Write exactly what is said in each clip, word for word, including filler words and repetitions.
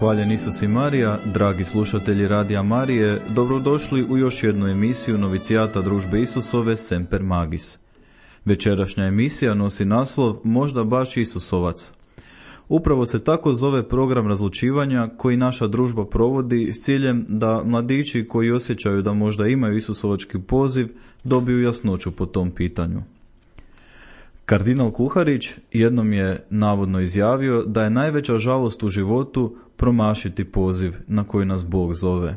Hvaljen Isus i Marija, dragi slušatelji Radija Marije, dobrodošli u još jednu emisiju novicijata Družbe Isusove Semper Magis. Večerašnja emisija nosi naslov Možda baš Isusovac. Upravo se tako zove program razlučivanja koji naša družba provodi s ciljem da mladići koji osjećaju da možda imaju isusovački poziv dobiju jasnoću po tom pitanju. Kardinal Kuharić jednom je navodno izjavio da je najveća žalost u životu promašiti poziv na koji nas Bog zove.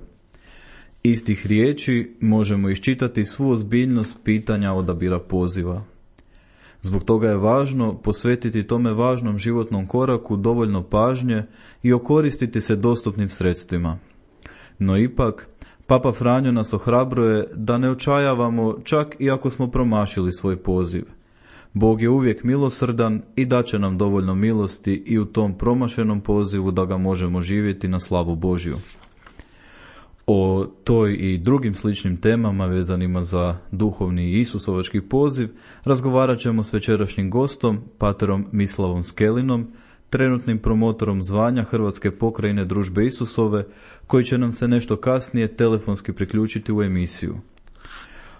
Iz tih riječi možemo iščitati svu ozbiljnost pitanja odabira poziva. Zbog toga je važno posvetiti tome važnom životnom koraku dovoljno pažnje i okoristiti se dostupnim sredstvima. No ipak, Papa Franjo nas ohrabruje da ne očajavamo čak i ako smo promašili svoj poziv. Bog je uvijek milosrdan i daće nam dovoljno milosti i u tom promašenom pozivu da ga možemo živjeti na slavu Božju. O toj i drugim sličnim temama vezanima za duhovni i isusovački poziv razgovarat ćemo s večerašnjim gostom, paterom Mislavom Skelinom, trenutnim promotorom zvanja Hrvatske pokrajine Družbe Isusove, koji će nam se nešto kasnije telefonski priključiti u emisiju.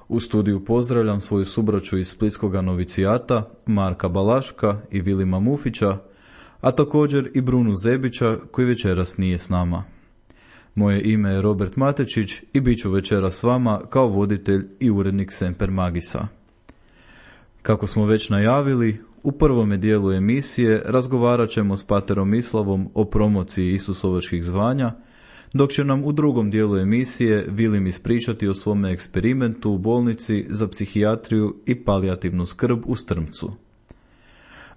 U studiju pozdravljam svoju subraću iz Splitskoga novicijata, Marka Balaška i Vilima Mufića, a također i Brunu Zebića koji večeras nije s nama. Moje ime je Robert Matečić i bit ću večeras s vama kao voditelj i urednik Semper Magisa. Kako smo već najavili, u prvome dijelu emisije razgovarat ćemo s paterom Mislavom o promociji isusovačkih zvanja, dok će nam u drugom dijelu emisije Vilim ispričati o svome eksperimentu u bolnici za psihijatriju i palijativnu skrb u Strmcu.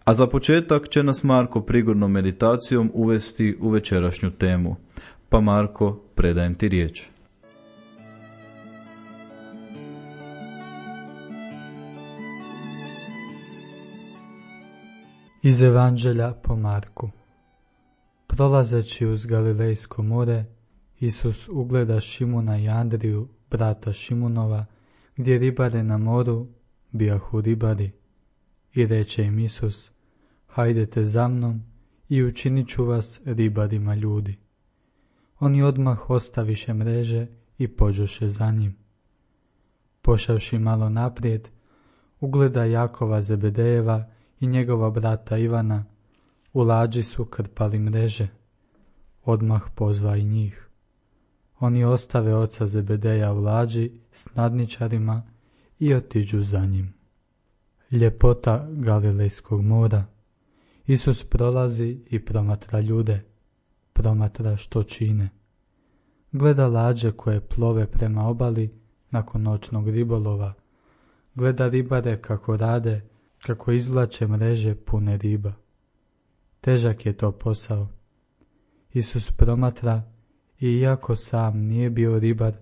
A za početak će nas Marko prigodnom meditacijom uvesti u večerašnju temu. Pa Marko, predajem ti riječ. Iz Evanđelja po Marku. Prolazeći uz Galilejsko more, Isus ugleda Šimuna i Andriju, brata Šimunova, gdje ribare na moru bijahu ribari. I reče im Isus: hajdete za mnom i učinit ću vas ribarima ljudi. Oni odmah ostaviše mreže i pođoše za njim. Pošavši malo naprijed, ugleda Jakova Zebedejeva i njegova brata Ivana, u lađi su krpali mreže. Odmah pozva i njih. Oni ostave oca Zebedeja u lađi s nadničarima i otiđu za njim. Ljepota Galilejskog mora. Isus prolazi i promatra ljude, promatra što čine. Gleda lađe koje plove prema obali nakon noćnog ribolova. Gleda ribare kako rade, kako izvlače mreže pune riba. Težak je to posao. Isus promatra i iako sam nije bio ribar,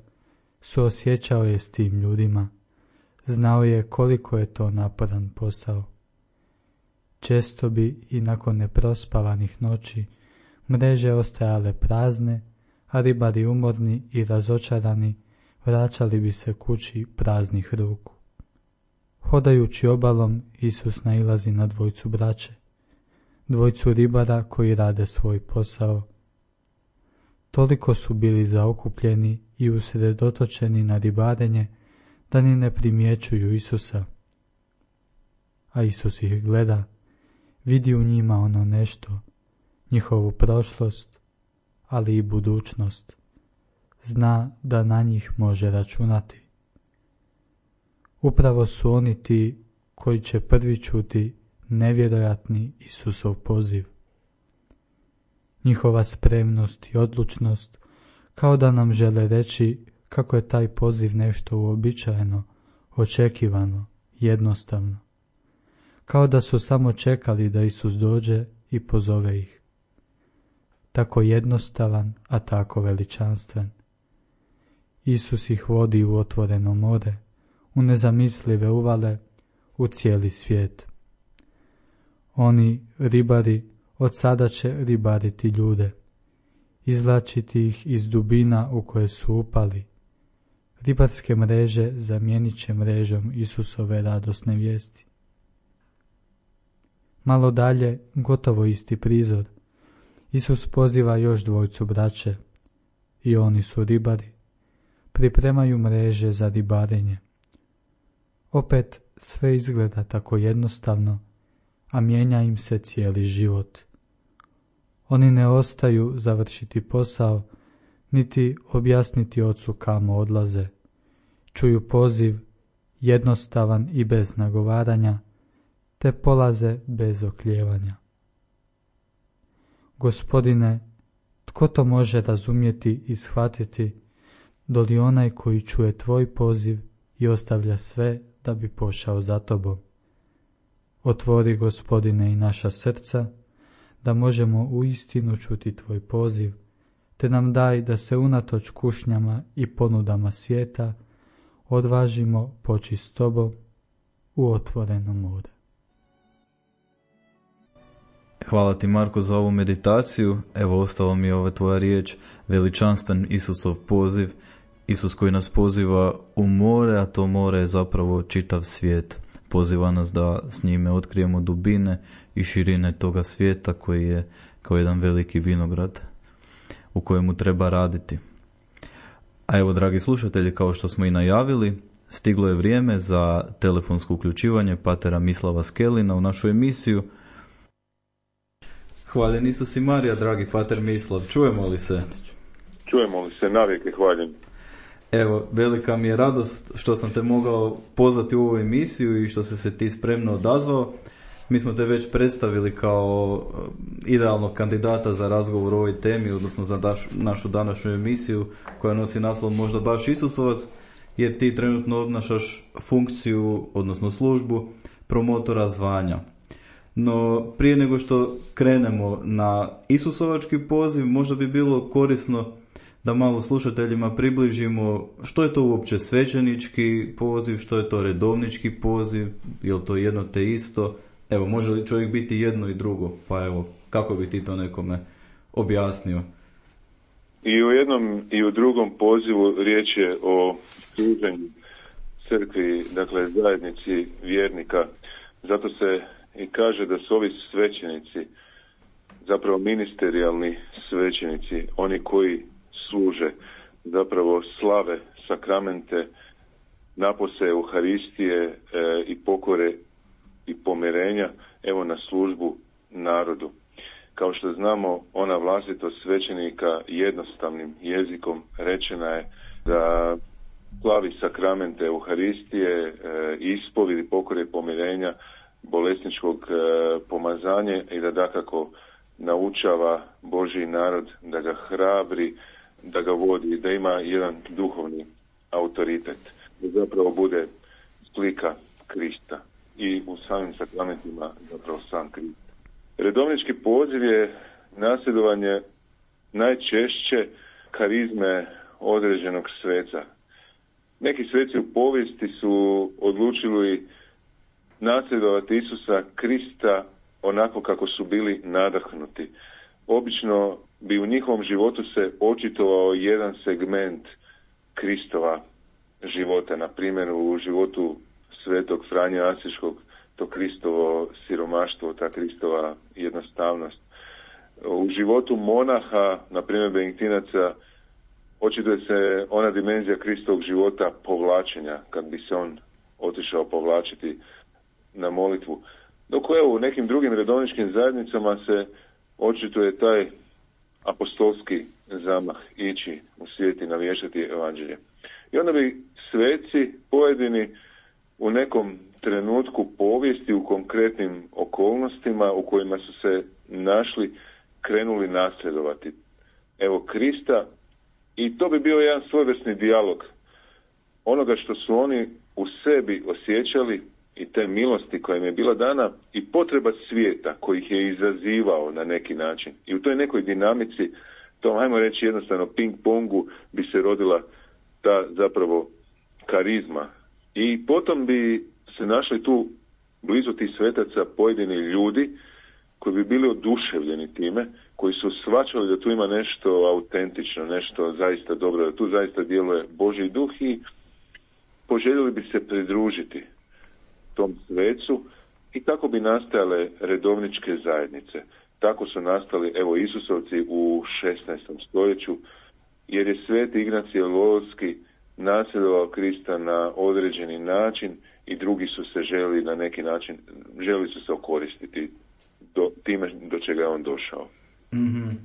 suosjećao je s tim ljudima. Znao je koliko je to naporan posao. Često bi i nakon neprospavanih noći mreže ostajale prazne, a ribari umorni i razočarani vraćali bi se kući praznih ruku. Hodajući obalom, Isus nailazi na dvojcu braće, dvojcu ribara koji rade svoj posao. Toliko su bili zaokupljeni i usredotočeni na ribarenje da ni ne primjećuju Isusa. A Isus ih gleda, vidi u njima ono nešto, njihovu prošlost, ali i budućnost. Zna da na njih može računati. Upravo su oni ti koji će prvi čuti nevjerojatni Isusov poziv. Njihova spremnost i odlučnost kao da nam žele reći kako je taj poziv nešto uobičajeno, očekivano, jednostavno. Kao da su samo čekali da Isus dođe i pozove ih. Tako jednostavan, a tako veličanstven. Isus ih vodi u otvoreno more, u nezamislive uvale, u cijeli svijet. Oni, ribari, od sada će ribariti ljude, izvlačiti ih iz dubina u koje su upali. Ribarske mreže zamijenit će mrežom Isusove radosne vijesti. Malo dalje, gotovo isti prizor. Isus poziva još dvojcu braće, i oni su ribari. Pripremaju mreže za ribarenje. Opet sve izgleda tako jednostavno, a mijenja im se cijeli život. Oni ne ostaju završiti posao, niti objasniti ocu kamo odlaze. Čuju poziv, jednostavan i bez nagovaranja, te polaze bez oklijevanja. Gospodine, tko to može razumjeti i shvatiti, doli onaj koji čuje tvoj poziv i ostavlja sve da bi pošao za tobom? Otvori, Gospodine, i naša srca, da možemo uistinu čuti tvoj poziv, te nam daj da se unatoč kušnjama i ponudama svijeta odvažimo poći s tobom u otvoreno more. Hvala ti, Marko, za ovu meditaciju. Evo, ostalo mi je ova tvoja riječ, veličanstven Isusov poziv. Isus koji nas poziva u more, a to more je zapravo čitav svijet. Poziva nas da s njime otkrijemo dubine i širine toga svijeta koji je kao jedan veliki vinograd u kojemu treba raditi. A evo, dragi slušatelji, kao što smo i najavili, stiglo je vrijeme za telefonsko uključivanje patera Mislava Skelina u našu emisiju. Hvaljen Isus i Marija, dragi pater Mislav, čujemo li se? Čujemo li se, navijek hvaljen. Evo, velika mi je radost što sam te mogao pozvati u ovu emisiju i što si se ti spremno odazvao. Mi smo te već predstavili kao idealnog kandidata za razgovor o ovoj temi, odnosno za daš, našu današnju emisiju koja nosi naslov Možda baš Isusovac, jer ti trenutno obnašaš funkciju, odnosno službu promotora zvanja. No, prije nego što krenemo na Isusovački poziv, možda bi bilo korisno da malo slušateljima približimo što je to uopće svećenički poziv, što je to redovnički poziv, je li to jedno te isto. Evo, može li čovjek biti jedno i drugo? Pa evo, kako bi ti to nekome objasnio? I u jednom i u drugom pozivu riječ je o služenju crkvi, dakle zajednici vjernika. Zato se i kaže da su ovi svećenici zapravo ministerijalni svećenici, oni koji služe, zapravo slave sakramente, napose Euharistije e, i pokore i pomirenja, evo na službu narodu. Kao što znamo, ona vlastitost svećenika jednostavnim jezikom rečena je da slavi sakramente Euharistije, e, ispovidi, pokore i pomirenja, bolesničkog e, pomazanja i da dakako naučava Božji narod, da ga hrabri, da ga vodi, da ima jedan duhovni autoritet, da zapravo bude slika Krista i u samim sakramentima zapravo sam Krist. Redovnički poziv je nasljedovanje najčešće karizme određenog sveca. Neki sveci u povijesti su odlučili nasljedovati Isusa Krista onako kako su bili nadahnuti. Obično bi u njihovom životu se očitovao jedan segment Kristova života, na primjer u životu svetog Franje Asiškog, to Kristovo siromaštvo, ta Kristova jednostavnost. U životu monaha, na primjer Benediktinaca, očituje se ona dimenzija Kristovog života povlačenja, kad bi se on otišao povlačiti na molitvu. Dok evo, u nekim drugim redovničkim zajednicama se očituje taj apostolski zamah, ići u svijet i navještati evanđelje. I onda bi sveci pojedini u nekom trenutku povijesti, u konkretnim okolnostima u kojima su se našli, krenuli nasljedovati evo Krista, i to bi bio jedan svojevrsni dijalog onoga što su oni u sebi osjećali i te milosti koja im je bila dana i potreba svijeta koji ih je izazivao na neki način. I u toj nekoj dinamici, tom, ajmo reći jednostavno ping-pongu, bi se rodila ta zapravo karizma. I potom bi se našli tu blizu tih svetaca pojedini ljudi koji bi bili oduševljeni time, koji su shvaćali da tu ima nešto autentično, nešto zaista dobro, da tu zaista djeluje Božji duh i poželjeli bi se pridružiti tom svecu i tako bi nastajale redovničke zajednice. tako su nastali, evo, Isusovci u šesnaestom stoljeću, jer je sveti Ignacije Lolski nasljedovao Krista na određeni način i drugi su se želi na neki način, želi su se okoristiti do, time do čega je on došao. Mm-hmm.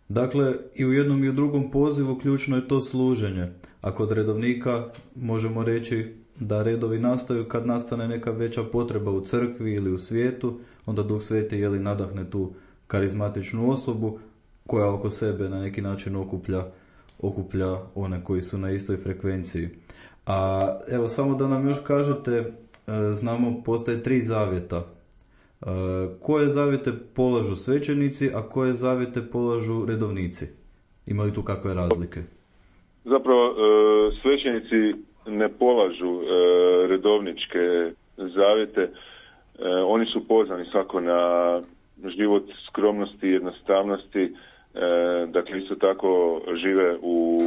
Dakle, i u jednom i u drugom pozivu ključno je to služenje. A kod redovnika možemo reći da redovi nastaju kad nastane neka veća potreba u crkvi ili u svijetu, onda Duh Sveti jeli nadahne tu karizmatičnu osobu koja oko sebe na neki način okuplja, okuplja one koji su na istoj frekvenciji. A evo samo da nam još kažete, znamo postoje tri zavjeta. Koje zavjete polažu svećenici, a koje zavjete polažu redovnici? Ima li tu kakve razlike? Zapravo svećenici ne polažu redovničke zavjete. Oni su pozvani svako na život skromnosti i jednostavnosti. Dakle, isto tako žive u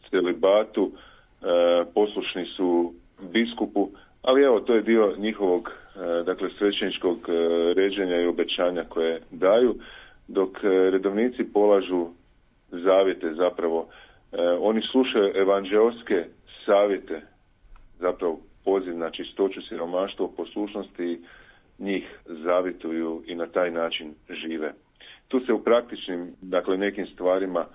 celibatu, poslušni su biskupu, ali evo, to je dio njihovog, dakle, svećeničkog ređenja i obećanja koje daju, dok redovnici polažu zavjete zapravo. Oni slušaju evanđeoske savjete, zapravo poziv na čistoću, siromaštvo, poslušnosti, njih zavjetuju i na taj način žive. Tu se u praktičnim, dakle, nekim stvarima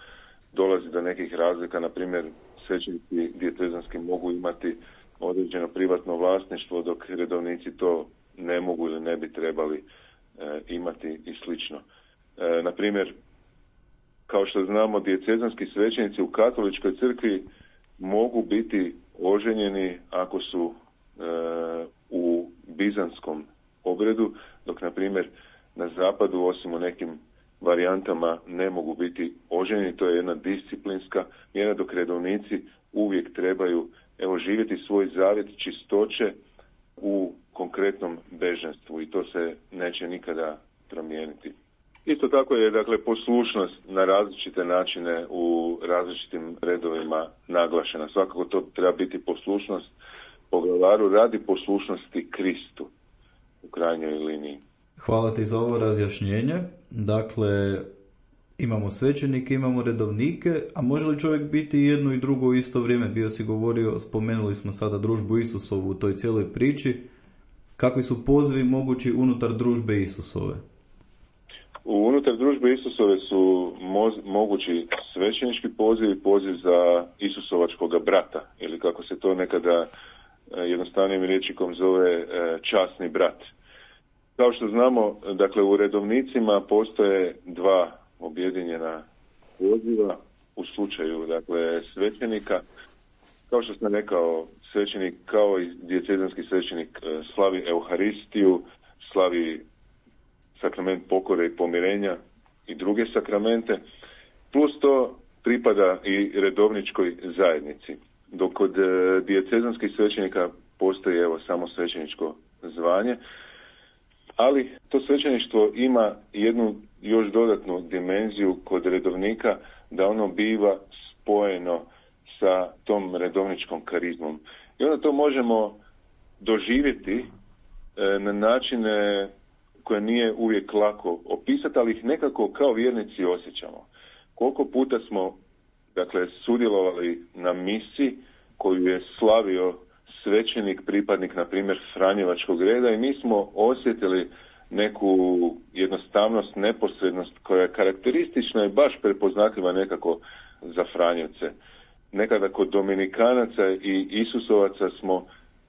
dolazi do nekih razlika, na primjer, svećenici dijetezanski mogu imati određeno privatno vlasništvo, dok redovnici to ne mogu ili ne bi trebali e, imati i slično. E, na primjer, kao što znamo, dijetezanski svećenici u katoličkoj crkvi mogu biti oženjeni ako su e, u bizanskom obredu, dok, na primjer, na zapadu, osim u nekim varijantama, ne mogu biti oženjeni. To je jedna disciplinska mjera, dok redovnici uvijek trebaju, evo, živjeti svoj zavjet čistoće u konkretnom bežanstvu i to se neće nikada promijeniti. Isto tako je, dakle, poslušnost na različite načine u različitim redovima naglašena. Svakako to treba biti poslušnost poglavaru radi poslušnosti Kristu u krajnjoj liniji. Hvala ti za ovo razjašnjenje. Dakle, imamo svećenike, imamo redovnike, a može li čovjek biti jedno i drugo u isto vrijeme? Bio si govorio, spomenuli smo sada družbu Isusovu u toj cijeloj priči. Kakvi su pozivi mogući unutar družbe Isusove? Unutar družbe Isusove su moz, mogući svećenički poziv i poziv za Isusovačkoga brata, ili kako se to nekada jednostavnim rječnikom zove časni brat. Kao što znamo, dakle, u redovnicima postoje dva objedinjena poziva u slučaju, dakle, svećenika. Kao što sam rekao, svećenik kao i dijetezanski svećenik slavi Euharistiju, slavi sakrament pokore i pomirenja i druge sakramente, plus to pripada i redovničkoj zajednici. Dok kod dijetezanskih svećenika postoji, evo, samo svećeničko zvanje, ali to svećeništvo ima jednu još dodatnu dimenziju kod redovnika, da ono biva spojeno sa tom redovničkom karizmom. I onda to možemo doživjeti e, na načine koje nije uvijek lako opisati, ali ih nekako kao vjernici osjećamo. Koliko puta smo, dakle, sudjelovali na misi koju je slavio svećenik, pripadnik, na primjer, Franjevačkog reda, i mi smo osjetili neku jednostavnost, neposrednost koja je karakteristična i baš prepoznatljiva nekako za Franjevce. Nekada kod Dominikanaca i Isusovaca smo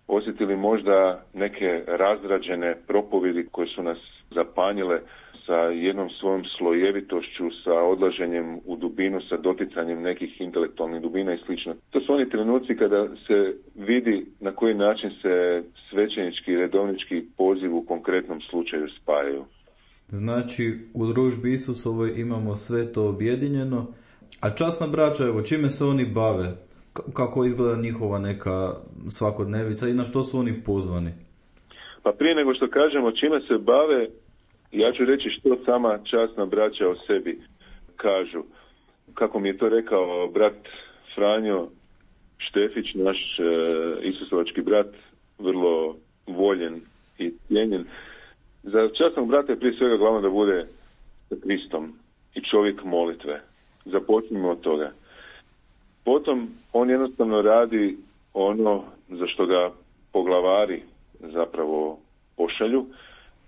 osjetili možda neke razrađene propovjedi koje su nas zapanjile sa jednom svojom slojevitošću, sa odlaženjem u dubinu, sa doticanjem nekih intelektualnih dubina i slično. To su oni trenuci kada se vidi na koji način se svećenički i redovnički poziv u konkretnom slučaju spajaju. Znači, u družbi Isusovoj imamo sve to objedinjeno, a časna braća, evo, čime se oni bave? Kako izgleda njihova neka svakodnevica i na što su oni pozvani? Pa prije nego što kažemo čime se bave, ja ću reći što sama časna braća o sebi kažu. Kako mi je to rekao brat Franjo Štefić, naš e, Isusovački brat, vrlo voljen i cijenjen. Za časnog brata je prije svega glavno da bude sa Kristom i čovjek molitve. Započnimo od toga. Potom on jednostavno radi ono za što ga poglavari zapravo pošalju,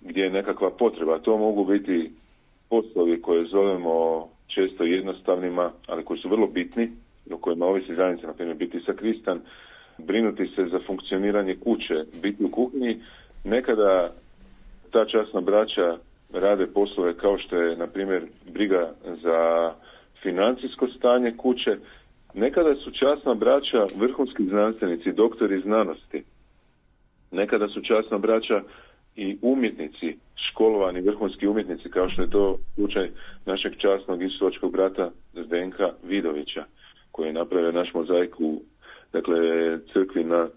gdje je nekakva potreba. To mogu biti poslovi koje zovemo često jednostavnima, ali koji su vrlo bitni, o kojima ovisi zajednica, na primjer biti sakristan, brinuti se za funkcioniranje kuće, biti u kuhinji. Nekada ta časna braća rade poslove kao što je, na primjer, briga za financijsko stanje kuće. Nekada su časna braća vrhunski znanstvenici, doktori znanosti. Nekada su časna braća i umjetnici, školovani vrhunski umjetnici, kao što je to slučaj našeg časnog isusovačkog brata Zdenka Vidovića, koji je napravio naš mozaik u, dakle, crkvi na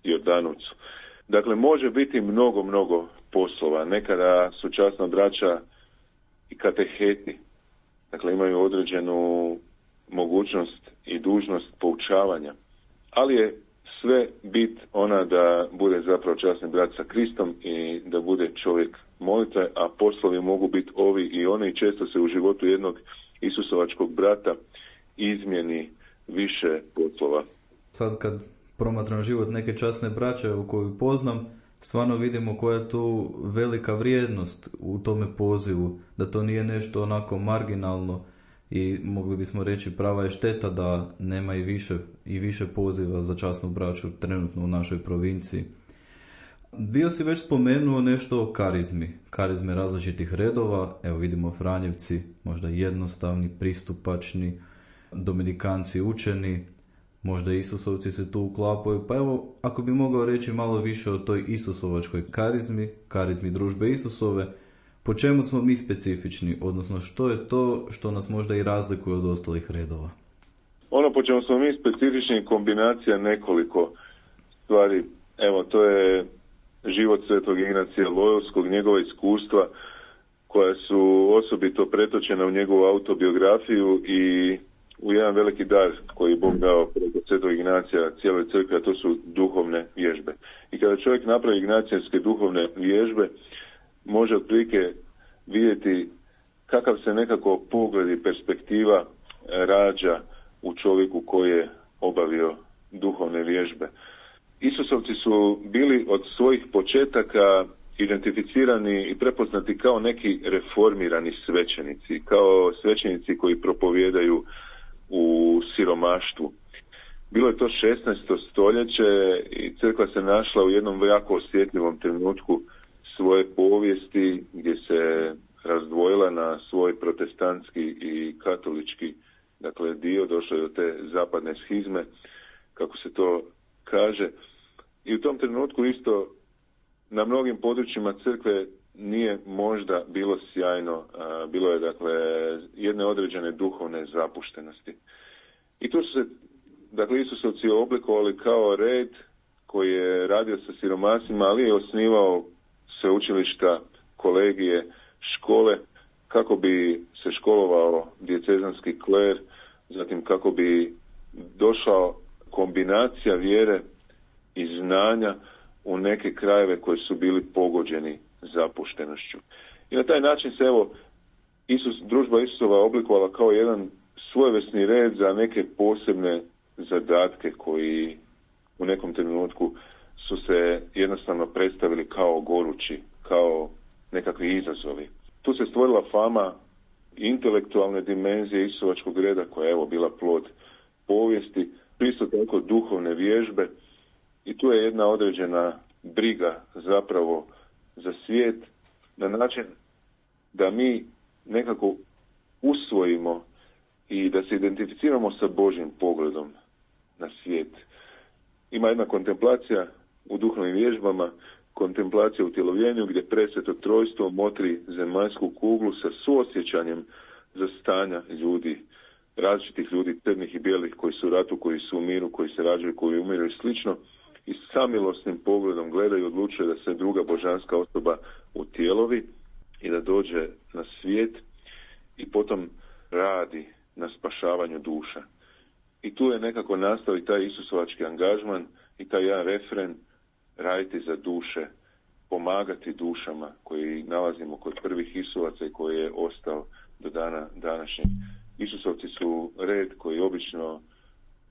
Jordanovcu. Dakle, može biti mnogo, mnogo poslova. Nekada su časna braća i kateheti. Dakle, imaju određenu mogućnost i dužnost poučavanja. Ali je sve bit ona da bude zapravo časni brat sa Kristom i da bude čovjek molitve, a poslovi mogu biti ovi i oni i često se u životu jednog isusovačkog brata izmjeni više poslova. Sad kad promatram život neke časne braće u koju poznam, stvarno vidimo koja je tu velika vrijednost u tome pozivu, da to nije nešto onako marginalno i mogli bismo reći prava je šteta da nema i više, i više poziva za časnu braću trenutno u našoj provinciji. Bio si već spomenuo nešto o karizmi, karizme različitih redova, evo vidimo Franjevci, možda jednostavni, pristupačni, Dominikanci učeni, možda Isusovci se tu uklapaju, pa evo ako bi mogao reći malo više o toj Isusovačkoj karizmi, karizmi družbe Isusove, po čemu smo mi specifični, odnosno što je to što nas možda i razlikuje od ostalih redova? Ono po čemu smo mi specifični je kombinacija nekoliko stvari. Evo, to je život svetog Ignacija Lojovskog, njegova iskustva koja su osobito pretočena u njegovu autobiografiju i u jedan veliki dar koji je Bog dao preko svetog Ignacija cijeloj crkvi, a to su duhovne vježbe. I kada čovjek napravi ignacijske duhovne vježbe, može otprilike vidjeti kakav se nekako pogled i perspektiva rađa u čovjeku koji je obavio duhovne vježbe. Isusovci su bili od svojih početaka identificirani i prepoznati kao neki reformirani svećenici, kao svećenici koji propovijedaju u siromaštvu. Bilo je to šesnaesto stoljeće i crkva se našla u jednom jako osjetljivom trenutku svoje povijesti gdje se razdvojila na svoj protestantski i katolički, dakle, dio, došlo je do te zapadne schizme, kako se to kaže. I u tom trenutku isto na mnogim područjima crkve nije možda bilo sjajno, a, bilo je, dakle, jedne određene duhovne zapuštenosti. I tu su se, dakle, Isusovci oblikovali kao red koji je radio sa siromasima, ali je osnivao sveučilišta, kolegije, škole, kako bi se školovao dijecezanski kler, zatim kako bi došao kombinacija vjere i znanja u neke krajeve koji su bili pogođeni zapuštenošću. I na taj način se, evo, Isus, družba Isusova oblikovala kao jedan svojevrsni red za neke posebne zadatke koji u nekom trenutku su se jednostavno predstavili kao gorući, kao nekakvi izazovi. Tu se stvorila fama intelektualne dimenzije Isusovačkog reda koja je, evo, bila plod povijesti, isto tako duhovne vježbe i tu je jedna određena briga zapravo za svijet na način da mi nekako usvojimo i da se identificiramo sa Božjim pogledom na svijet. Ima jedna kontemplacija u duhovnim vježbama, kontemplacija u tjelovljenju gdje presveto trojstvo motri zemaljsku kuglu sa suosjećanjem za stanja ljudi, različitih ljudi, crnih i bijelih, koji su u ratu, koji su u miru, koji se rađaju, koji umiru i slično, i samilosnim pogledom gledaju i odlučuje da se druga božanska osoba utjelovi i da dođe na svijet i potom radi na spašavanju duša. I tu je nekako nastao i taj isusovački angažman i taj jedan refren: raditi za duše pomagati dušama koji nalazimo kod prvih Isusaca i koji je ostao do dana današnjeg. Isusovci su red koji obično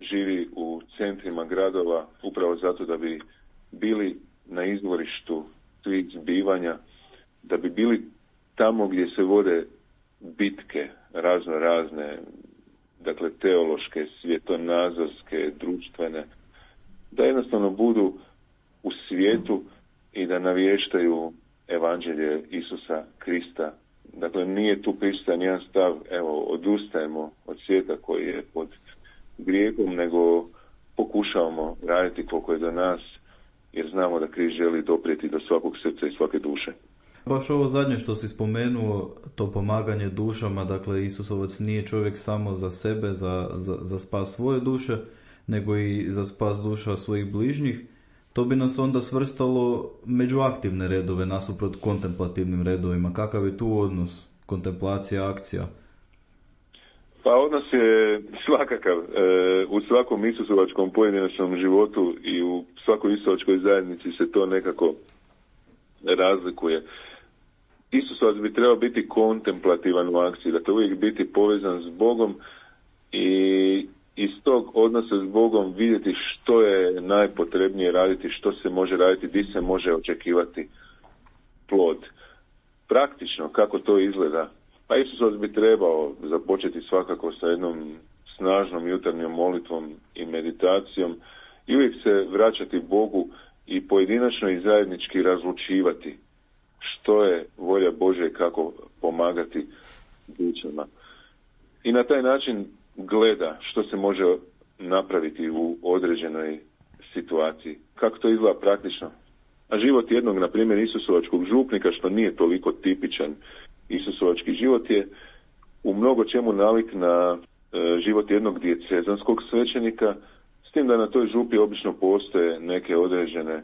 živi u centrima gradova upravo zato da bi bili na izvorištu svih zbivanja, da bi bili tamo gdje se vode bitke razno razne, dakle teološke, svjetonazorske, društvene, da jednostavno budu u svijetu i da navještaju evanđelje Isusa Krista. Dakle, nije tu prisutan jedan stav, evo, odustajemo od svijeta koji je pod grijehom, nego pokušavamo raditi koliko je do nas, jer znamo da Krist želi doprijeti do svakog srca i svake duše. Baš ovo zadnje što si spomenuo, to pomaganje dušama, dakle Isusovac nije čovjek samo za sebe, za, za, za spas svoje duše, nego i za spas duša svojih bližnjih. To bi nas onda svrstalo među aktivne redove nasuprot kontemplativnim redovima. Kakav je tu odnos? Kontemplacija, akcija? Pa odnos je svakakav. E, u svakom isusovačkom pojedinačnom životu i u svakoj isusovačkoj zajednici se to nekako razlikuje. Isusovac bi trebao biti kontemplativan u akciji, dakle uvijek biti povezan s Bogom i iz tog odnosa s Bogom vidjeti što je najpotrebnije raditi, što se može raditi, gdje se može očekivati plod. Praktično, kako to izgleda? Pa Isusovac bi trebao započeti svakako sa jednom snažnom jutarnjom molitvom i meditacijom i uvijek se vraćati Bogu i pojedinačno i zajednički razlučivati što je volja Božja i kako pomagati dušama. I na taj način gleda što se može napraviti u određenoj situaciji. Kako to izgleda praktično? A život jednog, na primjer, isusovačkog župnika, što nije toliko tipičan isusovački život, je u mnogo čemu nalik na e, život jednog dijecezanskog svećenika, s tim da na toj župi obično postoje neke određene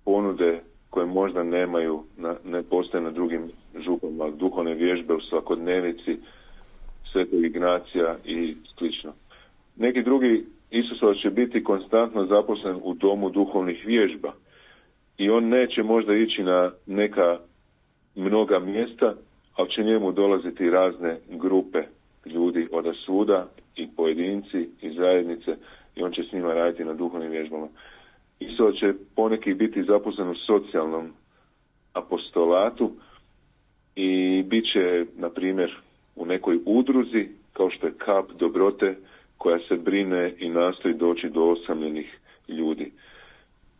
ponude koje možda nemaju, na, ne postoje na drugim župama, duhovne vježbe u svakodnevici, Svetog Ignacija i slično. Neki drugi Isusovac će biti konstantno zaposlen u domu duhovnih vježba i on neće možda ići na neka mnoga mjesta, ali će njemu dolaziti razne grupe ljudi od svuda i pojedinci i zajednice i on će s njima raditi na duhovnim vježbama. Isusovac će poneki biti zaposlen u socijalnom apostolatu i bit će, na primjer, u nekoj udruzi, kao što je Kap dobrote, koja se brine i nastoji doći do osamljenih ljudi.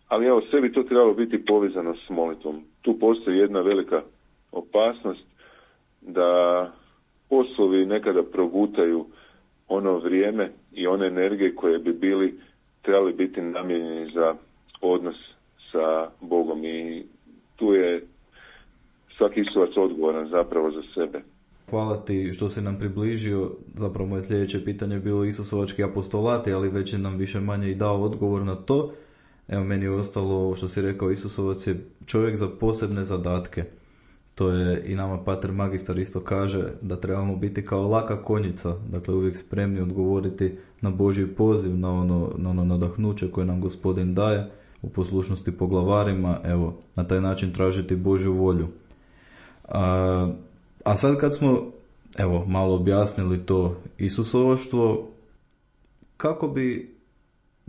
Ali evo, sve bi to trebalo biti povezano s molitvom. Tu postoji jedna velika opasnost da poslovi nekada progutaju ono vrijeme i one energije koje bi bili trebali biti namijenjeni za odnos sa Bogom. I tu je svaki Isusovac odgovoran zapravo za sebe. Hvala ti što si nam približio, zapravo moje sljedeće pitanje je bilo Isusovački apostolati, ali već je nam više manje i dao odgovor na to. Evo, meni je ostalo što si rekao, Isusovac je čovjek za posebne zadatke. To je i nama pater magistar isto kaže da trebamo biti kao laka konjica, dakle uvijek spremni odgovoriti na Božji poziv, na ono, na ono nadahnuće koje nam Gospodin daje u poslušnosti poglavarima, evo, na taj način tražiti Božju volju. A, a sad kad smo, evo, malo objasnili to Isusovoštvo, kako bi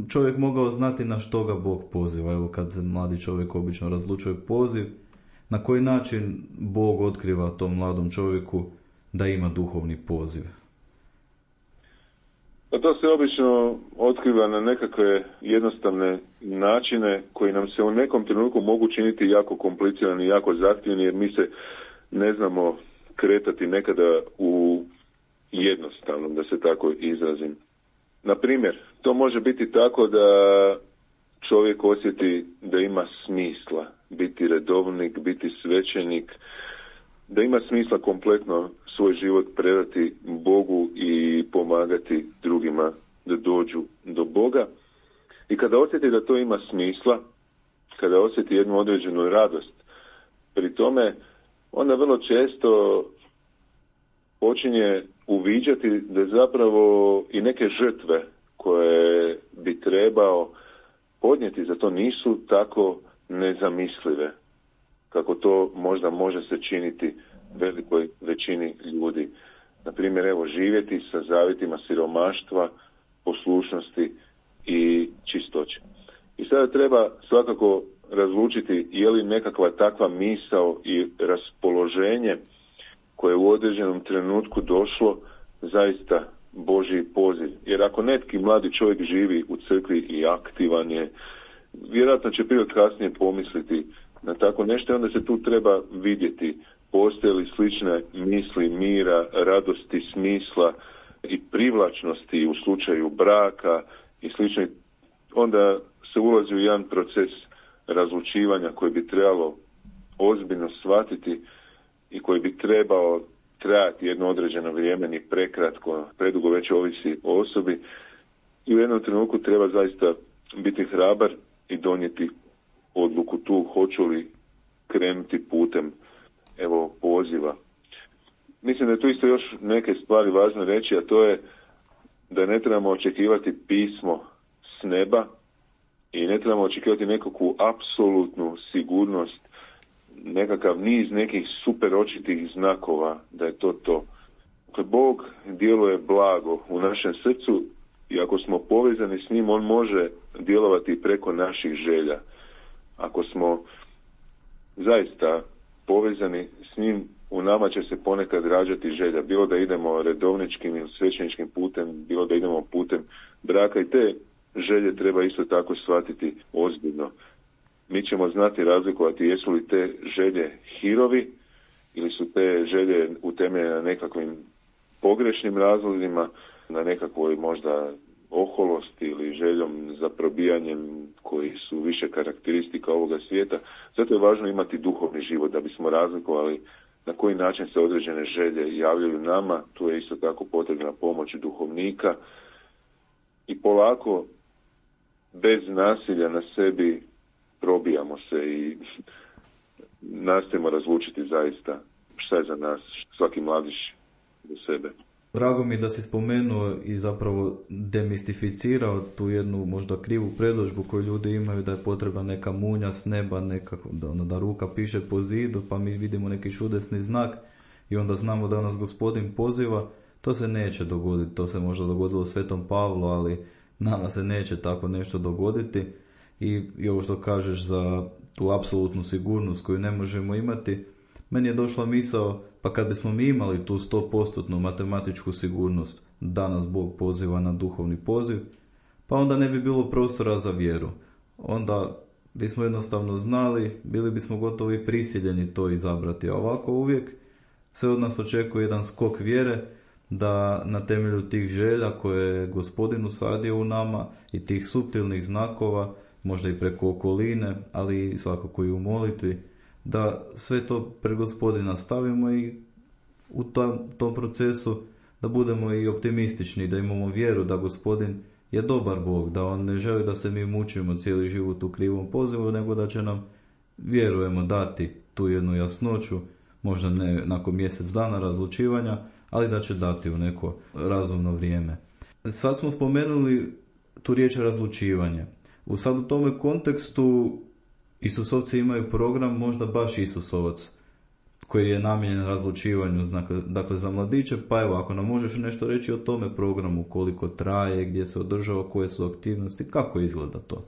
čovjek mogao znati na što ga Bog poziva? Evo, kad mladi čovjek obično razlučuje poziv, na koji način Bog otkriva tom mladom čovjeku da ima duhovni poziv? Pa to se obično otkriva na nekakve jednostavne načine koji nam se u nekom trenutku mogu činiti jako komplicirani i jako zahtjevni, jer mi se ne znamo kretati nekada u jednostavnom, da se tako izrazim. Na primjer, to može biti tako da čovjek osjeti da ima smisla biti redovnik, biti svećenik, da ima smisla kompletno svoj život predati Bogu i pomagati drugima da dođu do Boga. I kada osjeti da to ima smisla, kada osjeti jednu određenu radost pri tome, onda vrlo često počinje uviđati da zapravo i neke žrtve koje bi trebao podnijeti za to nisu tako nezamislive. kako to možda može se činiti velikoj većini ljudi. Na primjer, evo, živjeti sa zavjetima siromaštva, poslušnosti i čistoće. I sada treba svakako razlučiti je li nekakva takva misao i raspoloženje koje je u određenom trenutku došlo zaista Božji poziv. Jer ako neki mladi čovjek živi u crkvi i aktivan je, vjerojatno će prije kasnije pomisliti na tako nešto, onda se tu treba vidjeti postoje li slične misli mira, radosti, smisla i privlačnosti u slučaju braka i slično. Onda se ulazi u jedan proces razlučivanja koji bi trebalo ozbiljno shvatiti i koji bi trebao trajati jedno određeno vrijeme, ni prekratko, predugo već ovisi o osobi. I u jednom trenutku treba zaista biti hrabar i donijeti odluku tu, hoću li krenuti putem evo poziva. Mislim da je tu isto još neke stvari važno reći, a to je da ne trebamo očekivati pismo s neba i ne trebamo očekivati nekakvu apsolutnu sigurnost, nekakav niz nekih super očitih znakova da je to to. Dakle, Bog djeluje blago u našem srcu i ako smo povezani s njim, on može djelovati preko naših želja. Ako smo zaista povezani s njim, u nama će se ponekad rađati želja, bilo da idemo redovničkim ili svećeničkim putem, bilo da idemo putem braka, i te želje treba isto tako shvatiti ozbiljno. Mi ćemo znati razlikovati jesu li te želje hirovi ili su te želje utemeljene na nekakvim pogrešnim razlozima, na nekakvoj možda oholosti ili željom za probijanjem koji su više karakteristika ovoga svijeta. Zato je važno imati duhovni život da bismo razlikovali na koji način se određene želje javljaju nama. Tu je isto tako potrebna pomoć duhovnika i polako bez nasilja na sebi probijamo se i nastojimo razlučiti zaista šta je za nas svaki mladić do sebe. Drago mi da si spomenuo i zapravo demistificirao tu jednu možda krivu predodžbu koju ljudi imaju da je potrebna neka munja s neba, nekako, da, da ruka piše po zidu pa mi vidimo neki čudesni znak i onda znamo da nas Gospodin poziva. To se neće dogoditi, to se možda dogodilo Svetom Pavlu, ali nama se neće tako nešto dogoditi. I, i ovo što kažeš za tu apsolutnu sigurnost koju ne možemo imati, meni je došla misao, pa kad bismo mi imali tu sto posto matematičku sigurnost da nas Bog poziva na duhovni poziv, pa onda ne bi bilo prostora za vjeru. Onda bismo jednostavno znali, bili bismo gotovo i prisiljeni to izabrati. A ovako uvijek se od nas očekuje jedan skok vjere da na temelju tih želja koje je Gospodin usadio u nama i tih suptilnih znakova, možda i preko okoline, ali svakako i u molitvi, da sve to pred Gospodina stavimo i u tom, tom procesu da budemo i optimistični, da imamo vjeru da Gospodin je dobar Bog, da On ne želi da se mi mučimo cijeli život u krivom pozivu, nego da će nam, vjerujemo, dati tu jednu jasnoću, možda ne nakon mjesec dana razlučivanja, ali da će dati u neko razumno vrijeme. Sad smo spomenuli tu riječ razlučivanje. U sad u tome kontekstu Isusovci imaju program, možda baš Isusovac, koji je namijenjen razlučivanju, dakle za mladiće, pa evo, ako nam možeš nešto reći o tome programu, koliko traje, gdje se održava, koje su aktivnosti, kako izgleda to?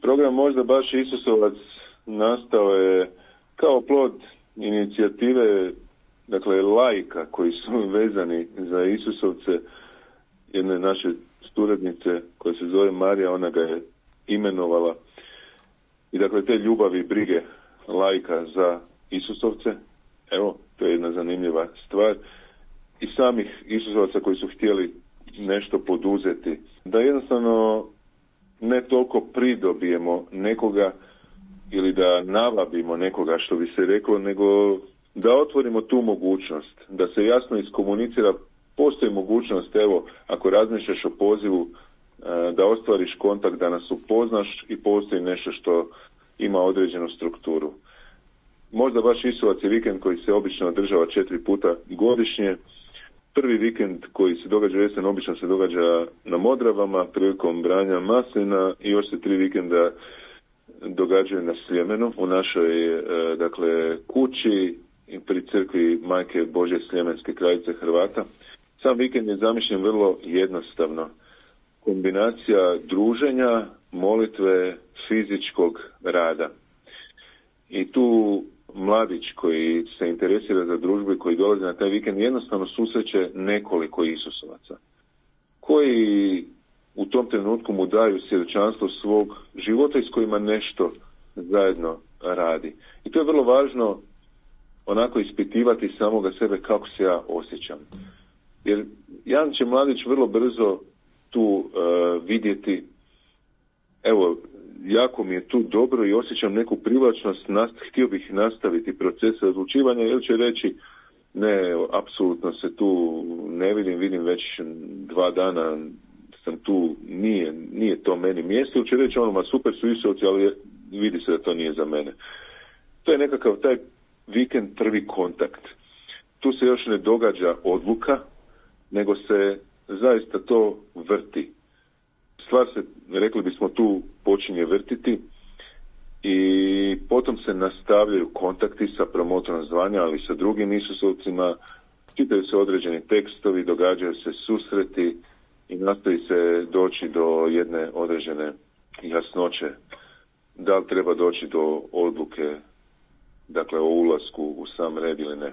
Program možda baš Isusovac nastao je kao plod inicijative, dakle laika koji su vezani za Isusovce, jedne naše suradnice koja se zove Marija, ona ga je imenovala. I dakle te ljubavi i brige laika za Isusovce, evo, to je jedna zanimljiva stvar, i samih Isusovaca koji su htjeli nešto poduzeti. Da jednostavno ne toliko pridobijemo nekoga ili da navabimo nekoga, što bi se reklo, nego da otvorimo tu mogućnost, da se jasno iskomunicira. Postoji mogućnost, evo, ako razmišljaš o pozivu, da ostvariš kontakt, da nas upoznaš i postoji nešto što ima određenu strukturu. Možda baš Isusovac je vikend koji se obično održava četiri puta godišnje. Prvi vikend koji se događa jesen obično se događa na Modravama prilikom branja maslina i još se tri vikenda događaju na Sljemenu, u našoj e, dakle, kući pri crkvi Majke Božje Sljemenske kraljice Hrvata. Sam vikend je zamišljen vrlo jednostavno. Kombinacija druženja, molitve, fizičkog rada. I tu mladić koji se interesira za družbu i koji dolazi na taj vikend jednostavno susreće nekoliko Isusovaca koji u tom trenutku mu daju svjedočanstvo svog života i s kojima nešto zajedno radi. I to je vrlo važno onako ispitivati samoga sebe kako se ja osjećam. Jer jedan će mladić vrlo brzo tu uh, vidjeti, evo, jako mi je tu dobro i osjećam neku privlačnost, nast, htio bih nastaviti procese odlučivanja, ili će reći, ne, apsolutno se tu ne vidim, vidim već dva dana sam tu, nije, nije to meni mjesto, ili će reći ono, ma super su Isovci, ali vidi se da to nije za mene. To je nekakav taj vikend prvi kontakt. Tu se još ne događa odluka, nego se zaista to vrti. Stvar se, rekli bismo, tu počinje vrtiti i potom se nastavljaju kontakti sa promotorom zvanja, ali sa drugim Isusovcima, čitaju se određeni tekstovi, događaju se susreti i nastoji se doći do jedne određene jasnoće. Da li treba doći do odluke, dakle, o ulasku u sam red ili ne.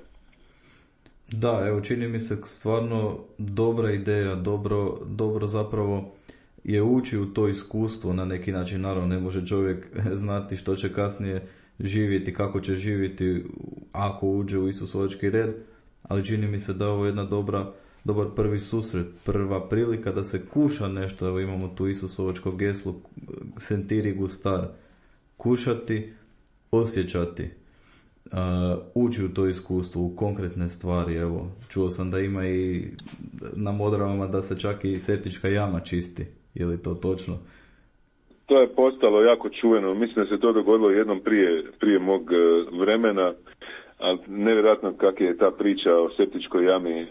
Da, evo, čini mi se stvarno dobra ideja, dobro, dobro zapravo je ući u to iskustvo na neki način. Naravno, ne može čovjek znati što će kasnije živjeti, kako će živjeti ako uđe u Isusovački red, ali čini mi se da ovo je jedna dobra, dobar prvi susret, prva prilika da se kuša nešto. Evo, imamo tu Isusovačko geslo sentiri gustar, kušati, osjećati. Uh, ući u to iskustvo, u konkretne stvari. Evo, čuo sam da ima i na Modravama da se čak i septička jama čisti. Je li to točno? To je postalo jako čuveno. Mislim da se to dogodilo jednom prije, prije mog uh, vremena, ali nevjerojatno kako je ta priča o septičkoj jami uh,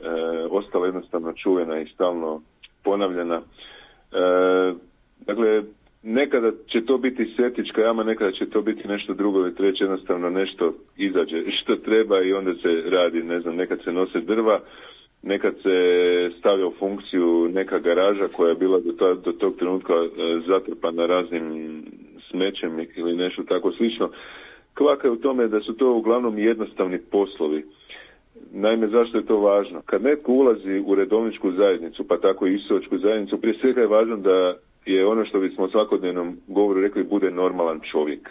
ostala jednostavno čuvena i stalno ponavljana. Uh, dakle, nekada će to biti septička jama, nekada će to biti nešto drugo ili treće, jednostavno nešto izađe što treba i onda se radi, ne znam, nekad se nose drva, nekad se stavlja u funkciju neka garaža koja je bila do, ta, do tog trenutka e, zatrpana raznim smećem ili nešto tako slično. Kvaka je u tome da su to uglavnom jednostavni poslovi. Naime, zašto je to važno? Kad netko ulazi u redovničku zajednicu, pa tako i Isusovačku zajednicu, prije svega je važno da je ono što bismo u svakodnevnom govoru rekli, bude normalan čovjek.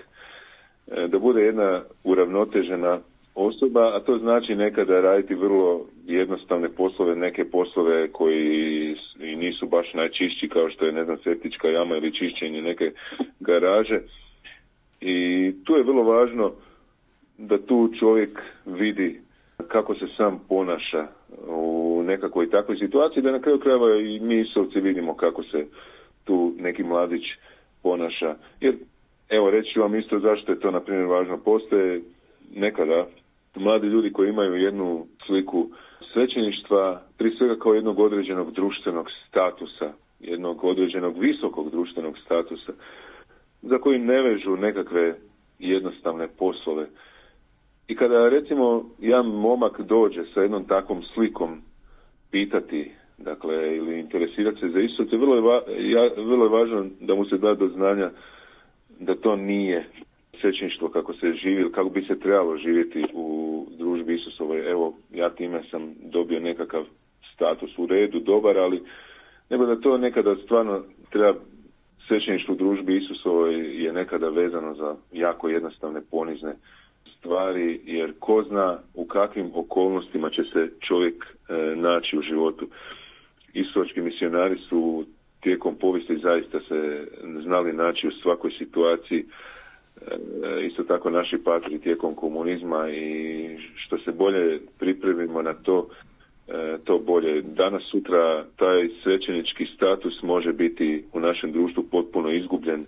Da bude jedna uravnotežena osoba, a to znači nekada raditi vrlo jednostavne poslove, neke poslove koji i nisu baš najčišći, kao što je, ne znam, septička jama ili čišćenje neke garaže. I tu je vrlo važno da tu čovjek vidi kako se sam ponaša u nekakvoj takvoj situaciji, da na kraju krajeva i mi Isovci vidimo kako se tu neki mladić ponaša. Jer, evo, reći ću vam isto zašto je to, na primjer, važno. Postoje nekada mladi ljudi koji imaju jednu sliku svećeništva, prije svega kao jednog određenog društvenog statusa, jednog određenog visokog društvenog statusa, za koji ne vežu nekakve jednostavne poslove. I kada, recimo, jedan momak dođe sa jednom takvom slikom pitati, dakle, ili interesirati se za Isusa, vrlo je, va, ja, vrlo je važno da mu se da do znanja da to nije svećeništvo kako se živi, kako bi se trebalo živjeti u družbi Isusovoj. Evo, ja time sam dobio nekakav status u redu, dobar, ali nego da to nekada stvarno treba, svećeništvo u družbi Isusovoj je nekada vezano za jako jednostavne, ponizne stvari, jer ko zna u kakvim okolnostima će se čovjek e, naći u životu. Isusovački misionari su tijekom povijesti zaista se znali naći u svakoj situaciji. E, isto tako naši patri tijekom komunizma, i što se bolje pripremimo na to, e, to bolje. Danas, sutra taj svećenički status može biti u našem društvu potpuno izgubljen. E,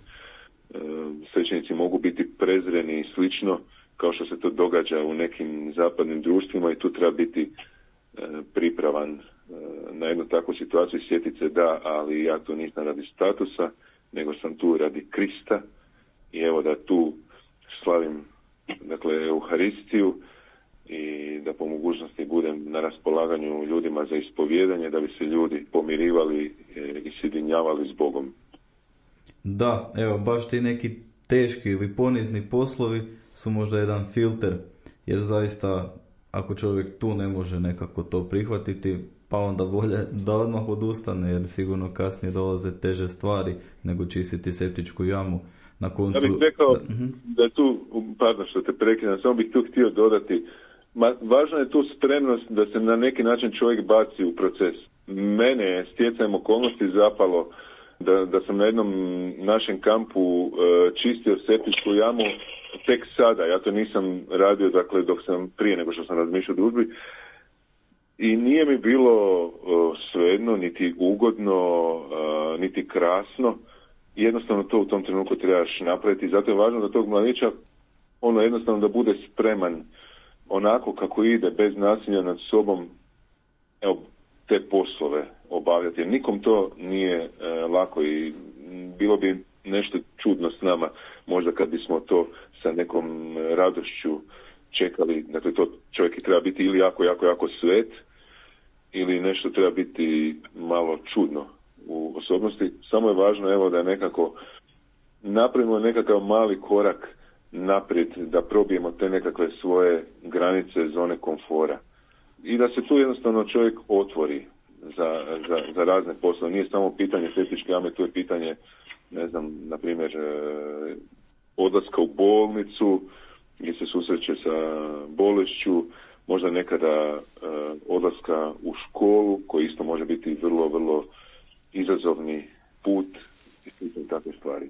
svećenici mogu biti prezreni i slično, kao što se to događa u nekim zapadnim društvima, i tu treba biti e, pripravan e, na jednu takvu situaciju. Sjetit se, da, ali ja tu nisam radi statusa, nego sam tu radi Krista i evo da tu slavim dakle Euharistiju i da po mogućnosti budem na raspolaganju ljudima za ispovijedanje, da bi se ljudi pomirivali i sjedinjavali s Bogom. Da, evo, baš ti neki teški ili ponizni poslovi su možda jedan filter, jer zaista ako čovjek tu ne može nekako to prihvatiti, pa onda bolje da odmah odustane, jer sigurno kasnije dolaze teže stvari nego čistiti septičku jamu. Na koncu... Ja bih rekao da, uh-huh. da je tu, pardon što te prekidam, samo bih tu htio dodati, ma, važna je tu spremnost da se na neki način čovjek baci u proces. Mene je stjecajem okolnosti zapalo da, da sam na jednom našem kampu e, čistio septičku jamu tek sada. Ja to nisam radio, dakle, dok sam prije nego što sam razmišljao o družbi. I nije mi bilo e, svejedno, niti ugodno, e, niti krasno. Jednostavno to u tom trenutku trebaš napraviti. Zato je važno da tog mladića, ono jednostavno da bude spreman onako kako ide, bez nasilja nad sobom, evo, te poslove obavljati. Jer nikom to nije e, lako i bilo bi nešto čudno s nama, možda kad bismo to sa nekom radošću čekali. Dakle, to čovjek treba biti ili jako, jako, jako svet, ili nešto treba biti malo čudno u osobnosti. Samo je važno, evo, da nekako napravimo nekakav mali korak naprijed, da probijemo te nekakve svoje granice, zone komfora. I da se tu jednostavno čovjek otvori za, za, za razne poslove. Nije samo pitanje septičke jame, tu je pitanje, ne znam, na primjer, odlaska u bolnicu, gdje se susreće sa bolešću, možda nekada odlaska u školu, koji isto može biti vrlo, vrlo izazovni put i takve stvari.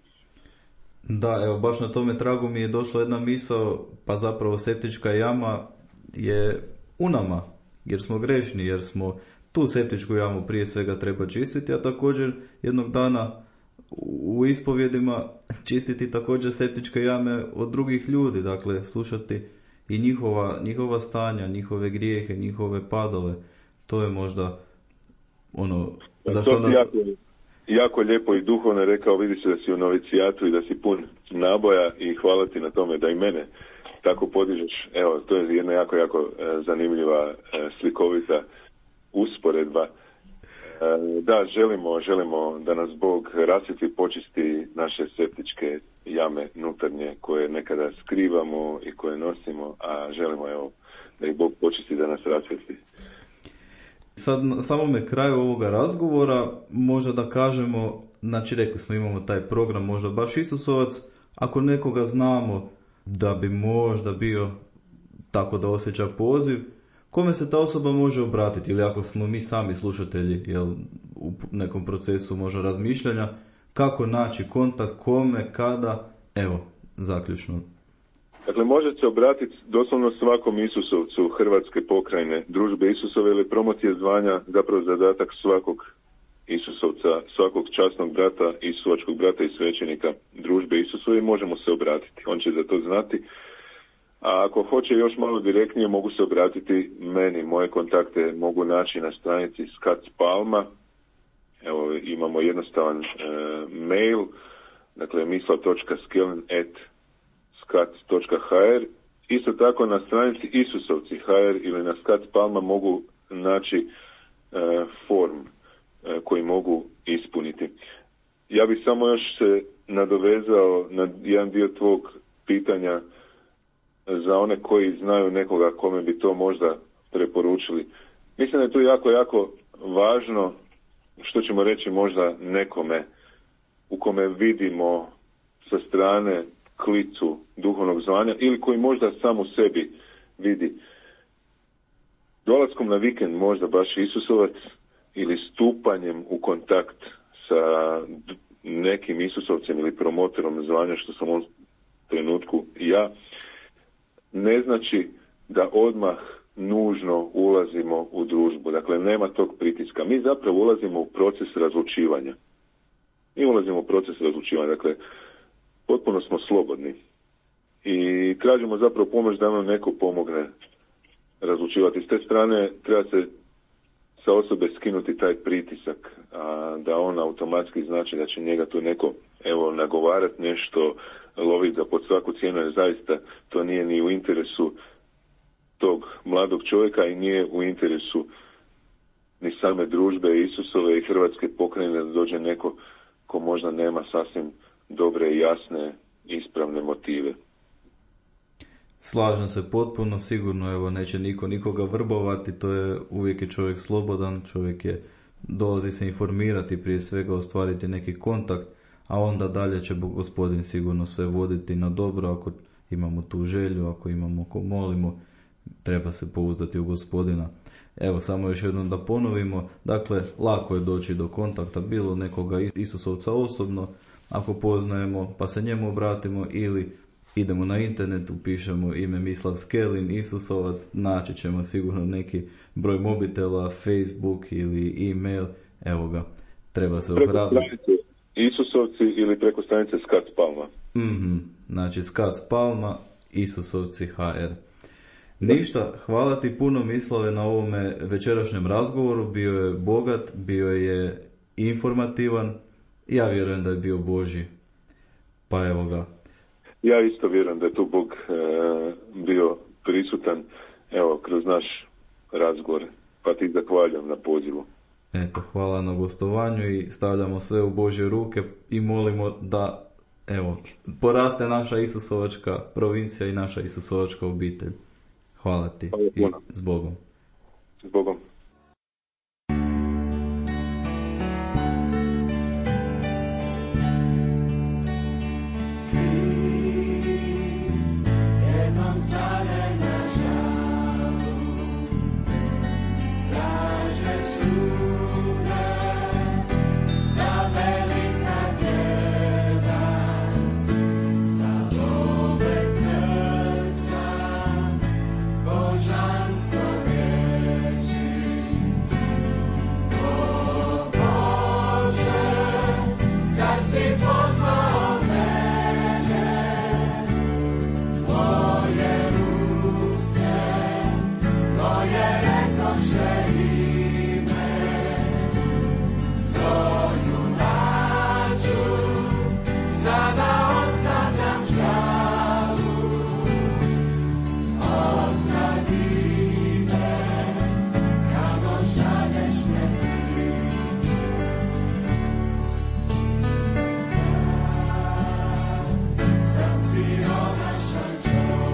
Da, evo, baš na tome tragu mi je došla jedna misao, pa zapravo septička jama je u nama, jer smo grešni, jer smo tu septičku jamu prije svega treba čistiti, a također jednog dana u ispovjedima čistiti također septičke jame od drugih ljudi, dakle slušati i njihova, njihova stanja, njihove grijehe, njihove padove. To je možda ono... To nas... jako, jako lijepo i duhovno rekao, vidi se da si u novicijatu i da si pun naboja i hvala ti na tome da i mene tako podižeš. Evo, to je jedna jako, jako zanimljiva, slikovita usporedba. Da, želimo, želimo da nas Bog rasvjetli, počisti naše septičke jame nutarnje koje nekada skrivamo i koje nosimo, a želimo, evo, da ih Bog počisti, da nas rasvjetli. Sad, na samome kraju ovoga razgovora, možda da kažemo, znači rekli smo imamo taj program, možda baš Isusovac, ako nekoga znamo da bi možda bio tako da osjeća poziv, kome se ta osoba može obratiti, ili ako smo mi sami slušatelji, jel, u nekom procesu možda razmišljanja, kako naći kontakt, kome, kada, evo, zaključno. Dakle, može se obratiti doslovno svakom Isusovcu Hrvatske pokrajine, družbe Isusove ili promocije zvanja, zapravo zadatak svakog Isusovca, svakog časnog brata, Isusovačkog brata i svećenika družbe Isusove, možemo se obratiti. On će za to znati. A ako hoće još malo direktnije, mogu se obratiti meni. Moje kontakte mogu naći na stranici Skac Palma. Evo, imamo jednostavan e, mail, dakle mislav točka skeln at skac točka h r. Isto tako na stranici Isusovci h r ili na Skac Palma mogu naći e, form e, koji mogu ispuniti. Ja bih samo još se nadovezao na jedan dio tvog pitanja za one koji znaju nekoga kome bi to možda preporučili. Mislim da je to jako, jako važno, što ćemo reći možda nekome u kome vidimo sa strane klicu duhovnog zvanja ili koji možda sam u sebi vidi. Dolaskom na vikend možda baš Isusovac ili stupanjem u kontakt sa nekim Isusovcem ili promotorom zvanja, što sam u ovom trenutku ja, ne znači da odmah nužno ulazimo u družbu. Dakle, nema tog pritiska. Mi zapravo ulazimo u proces razlučivanja. Mi ulazimo u proces razlučivanja. Dakle, potpuno smo slobodni. I tražimo zapravo pomoć da nam neko pomogne razlučivati. S te strane treba se sa osobe skinuti taj pritisak, a da on automatski znači da će njega tu neko evo nagovarati nešto, loviti ga pod svaku cijenu, jer zaista to nije ni u interesu tog mladog čovjeka i nije u interesu ni same družbe Isusove i Hrvatske pokrajine da dođe neko ko možda nema sasvim dobre i jasne ispravne motive. Slažem se potpuno, sigurno evo neće niko nikoga vrbovati, to je uvijek je čovjek slobodan, čovjek je dolazi se informirati, prije svega ostvariti neki kontakt, a onda dalje će Gospodin sigurno sve voditi na dobro ako imamo tu želju, ako imamo ko molimo, treba se pouzdati u Gospodina. Evo, samo još jednom da ponovimo, dakle, lako je doći do kontakta, bilo nekoga Isusovca osobno, ako poznajemo, pa se njemu obratimo, ili idemo na internet, upišemo ime Mislav Skelin, Isusovac, naći ćemo sigurno neki broj mobitela, Facebook ili e-mail, evo ga, treba se ohrabriti. Isusovci ili preko stranice Skac Palma. Mm-hmm. Znači Skac Palma, Isusovci ha er. Ništa, hvala ti puno Mislave na ovome večerašnjem razgovoru, bio je bogat, bio je informativan, ja vjerujem da je bio Božji, pa evo ga. Ja isto vjerujem da je tu Bog e, bio prisutan, evo, kroz naš razgovor, pa ti zahvaljujem na pozivu. Eto, hvala na gostovanju i stavljamo sve u Božje ruke i molimo da, evo, poraste naša Isusovačka provincija i naša Isusovačka obitelj. Hvala ti i s Bogom. S Bogom. Sam siromašan čovjek.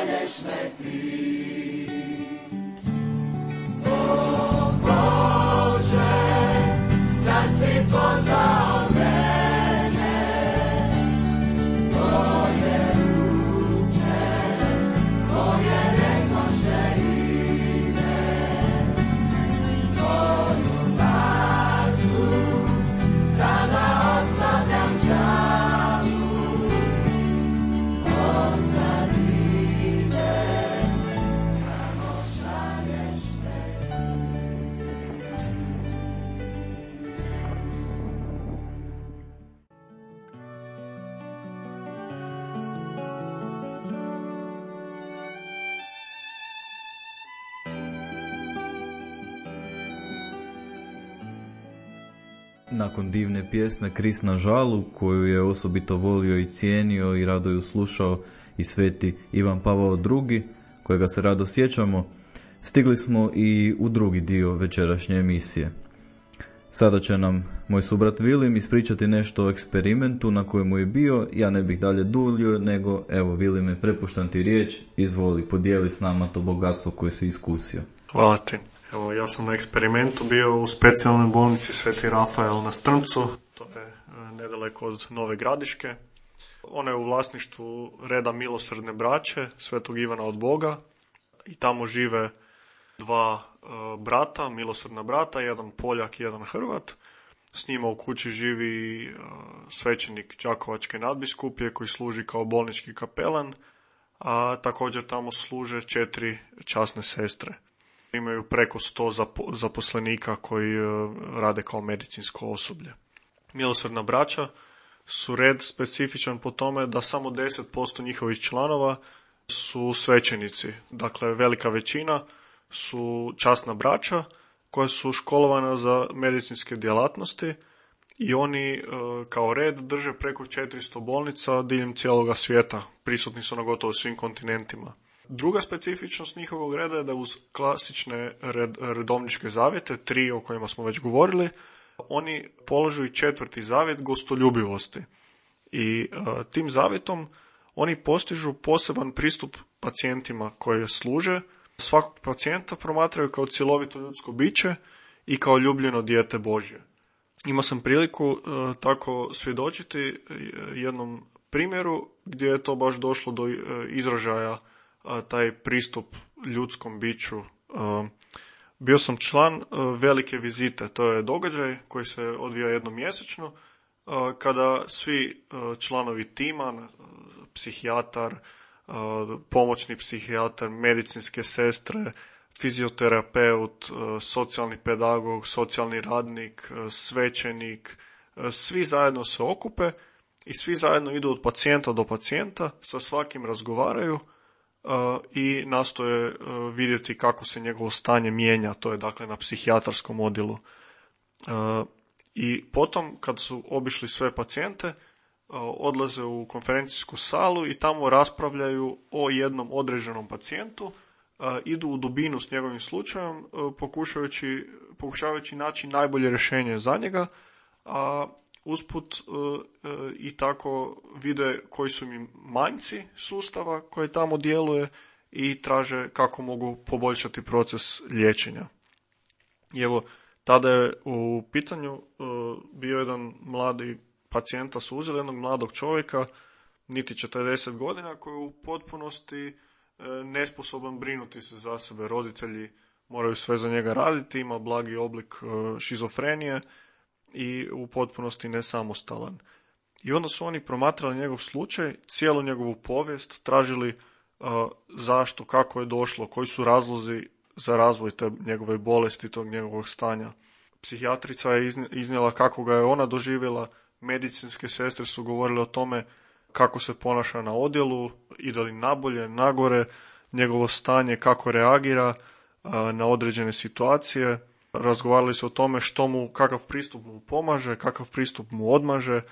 šalješ me ti. O Bože, sad si pozvao mene, tvoje uste, koje rekoše ime, svoju nađu, sada ostavljam žalu, odzad idem, kamo šalješ me. Nakon divne pjesme Krist na žalu, koju je osobito volio i cijenio i rado ju slušao i sveti Ivan Pavao drugi, kojega se rado sjećamo, stigli smo i u drugi dio večerašnje emisije. Sada će nam moj subrat Vilim ispričati nešto o eksperimentu na kojemu je bio. Ja ne bih dalje duljio, nego evo Vilime, prepuštam ti riječ, izvoli, podijeli s nama to bogatstvo koje si iskusio. Hvala ti. Evo, ja sam na eksperimentu bio u specijalnoj bolnici Sveti Rafael na Strmcu, to je nedaleko od Nove Gradiške. Ona je u vlasništvu reda Milosrdne braće, Svetog Ivana od Boga, i tamo žive dva uh, brata, milosrdna brata, jedan Poljak i jedan Hrvat. S njima u kući živi uh, svećenik Đakovačke nadbiskupije koji služi kao bolnički kapelan, a također tamo služe četiri časne sestre. Imaju preko sto zaposlenika koji rade kao medicinsko osoblje. Milosrdna braća su red specifičan po tome da samo deset posto njihovih članova su svećenici. Dakle, velika većina su časna braća koja su školovana za medicinske djelatnosti i oni kao red drže preko četiristo bolnica diljem cijeloga svijeta. Prisutni su na gotovo svim kontinentima. Druga specifičnost njihovog reda je da uz klasične red, redovničke zavjete, tri o kojima smo već govorili, oni polažu i četvrti zavjet gostoljubivosti. I uh, tim zavjetom oni postižu poseban pristup pacijentima koji služe. Svakog pacijenta promatraju kao cjelovito ljudsko biće i kao ljubljeno dijete Božje. Imao sam priliku uh, tako svjedočiti jednom primjeru gdje je to baš došlo do uh, izražaja, taj pristup ljudskom biću. Bio sam član velike vizite, to je događaj koji se odvija jednom mjesečno, kada svi članovi tima, psihijatar, pomoćni psihijatar, medicinske sestre, fizioterapeut, socijalni pedagog, socijalni radnik, svećenik, svi zajedno se okupe i svi zajedno idu od pacijenta do pacijenta, sa svakim razgovaraju Uh, i nastoje uh, vidjeti kako se njegovo stanje mijenja, to je dakle na psihijatarskom odjelu. Uh, I potom, kad su obišli sve pacijente, uh, odlaze u konferencijsku salu i tamo raspravljaju o jednom određenom pacijentu, uh, idu u dubinu s njegovim slučajem, uh, pokušavajući, pokušavajući naći najbolje rješenje za njega, a usput uh, uh, i tako vide koji su im manjci sustava koji tamo djeluje i traže kako mogu poboljšati proces liječenja. I evo, tada je u pitanju uh, bio jedan mladi pacijenta, su uzeli jednog mladog čovjeka, niti četrdeset godina, koji je u potpunosti uh, nesposoban brinuti se za sebe. Roditelji moraju sve za njega raditi, ima blagi oblik uh, šizofrenije i u potpunosti nesamostalan. I onda su oni promatrali njegov slučaj, cijelu njegovu povijest, tražili uh, zašto, kako je došlo, koji su razlozi za razvoj te njegove bolesti, tog njegovog stanja. Psihijatrica je iznijela kako ga je ona doživjela, medicinske sestre su govorile o tome kako se ponaša na odjelu, ide li nabolje, nagore, njegovo stanje, kako reagira uh, na određene situacije. Razgovarali su o tome što mu, kakav pristup mu pomaže, kakav pristup mu odmaže.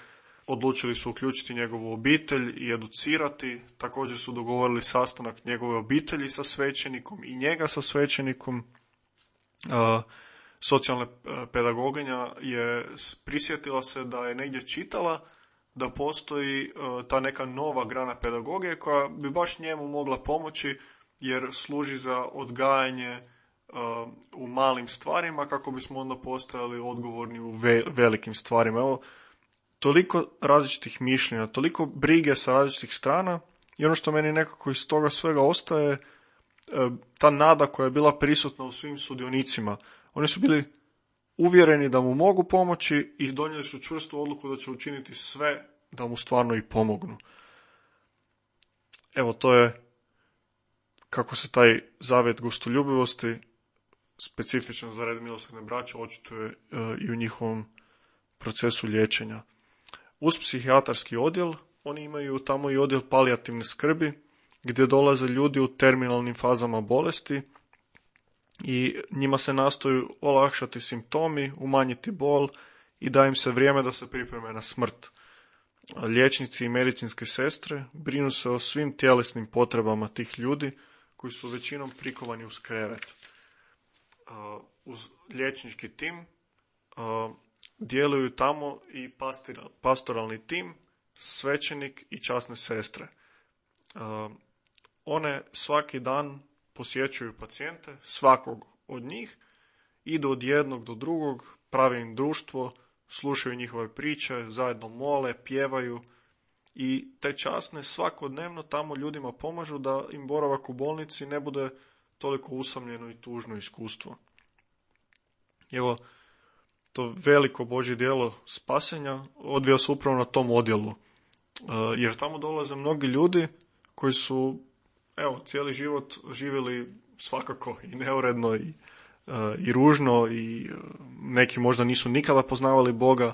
Odlučili su uključiti njegovu obitelj i educirati. Također su dogovorili sastanak njegove obitelji sa svećenikom i njega sa svećenikom. Socijalna pedagoginja je prisjetila se da je negdje čitala da postoji uh, ta neka nova grana pedagogije koja bi baš njemu mogla pomoći jer služi za odgajanje uh, u malim stvarima kako bismo onda postajali odgovorni u ve- velikim stvarima. Evo, toliko različitih mišljenja, toliko brige sa različitih strana i ono što meni nekako iz toga svega ostaje uh, ta nada koja je bila prisutna u svim sudionicima. Oni su bili uvjereni da mu mogu pomoći i donijeli su čvrstu odluku da će učiniti sve da mu stvarno i pomognu. Evo, to je kako se taj zavjet gostoljubivosti specifičan za red milosrdne braće očituje uh, i u njihovom procesu liječenja. Uz psihijatarski odjel oni imaju tamo i odjel palijativne skrbi gdje dolaze ljudi u terminalnim fazama bolesti i njima se nastoju olakšati simptomi, umanjiti bol i da im se vrijeme da se pripreme na smrt. Liječnici i medicinske sestre brinu se o svim tjelesnim potrebama tih ljudi koji su većinom prikovani uz krevet. Uh, uz liječnički tim uh, djeluju tamo i pastira, pastoralni tim, svećenik i časne sestre. Uh, one svaki dan posjećuju pacijente, svakog od njih, idu od jednog do drugog, prave im društvo, slušaju njihove priče, zajedno mole, pjevaju i te časne svakodnevno tamo ljudima pomažu da im boravak u bolnici ne bude toliko usamljeno i tužno iskustvo. Evo, to veliko Božje djelo spasenja odvija se upravo na tom odjelu, jer tamo dolaze mnogi ljudi koji su, evo, cijeli život živjeli svakako i neuredno i, i ružno i neki možda nisu nikada poznavali Boga.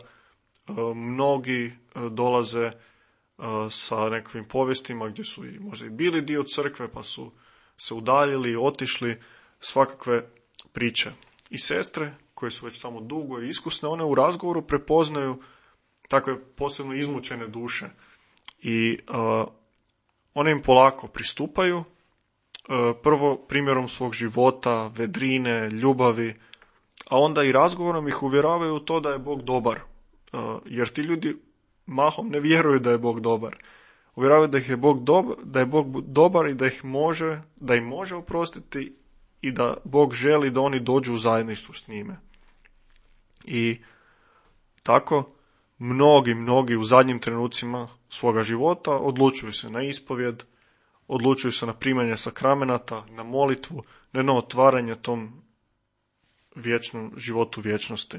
Mnogi dolaze sa nekakvim povijestima gdje su i možda i bili dio crkve pa su se udaljili, otišli, svakakve priče. I sestre koje su već tamo dugo i iskusne, one u razgovoru prepoznaju takve posebno izmučene duše i uh, one im polako pristupaju, uh, prvo primjerom svog života, vedrine, ljubavi, a onda i razgovorom ih uvjeravaju u to da je Bog dobar, uh, jer ti ljudi mahom ne vjeruju da je Bog dobar. Uvjeravaju da ih je Bog dobar, da je Bog dobar i da ih može, da im može oprostiti i da Bog želi da oni dođu u zajedništvo s njime. I tako mnogi, mnogi u zadnjim trenucima svoga života odlučuju se na ispovjed, odlučuju se na primanje sakramenata, na molitvu, ne na otvaranje tom vječnom životu vječnosti.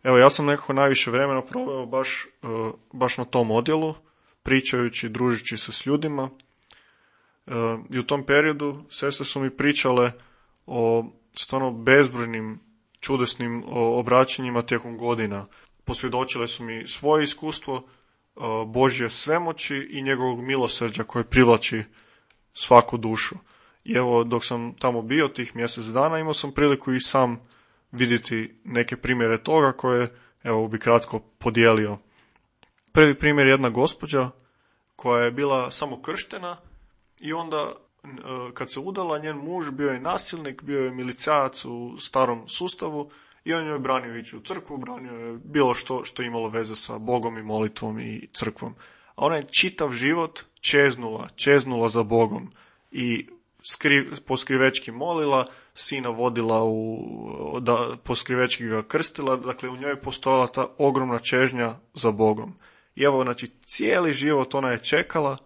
Evo, ja sam nekako najviše vremena proveo baš, uh, baš na tom odjelu, pričajući, družići se s ljudima. Uh, I u tom periodu sestre su mi pričale o stvarno bezbrojnim, čudesnim obraćanjima tijekom godina. Posvjedočile su mi svoje iskustvo, uh, Božje svemoći i njegovog milosrđa koje privlači svaku dušu. I evo, dok sam tamo bio tih mjesec dana, imao sam priliku i sam vidjeti neke primjere toga koje, evo, bi kratko podijelio. Prvi primjer je jedna gospođa koja je bila samo krštena i onda kad se udala, njen muž bio je nasilnik, bio je milicajac u starom sustavu i on joj je branio ići u crkvu, branio je bilo što što je imalo veze sa Bogom i molitvom i crkvom. A ona je čitav život čeznula, čeznula za Bogom i skri, poskrivečki molila, sina vodila u, da poskrivečki ga krstila, dakle u njoj je postojala ta ogromna čežnja za Bogom. I evo, znači, cijeli život ona je čekala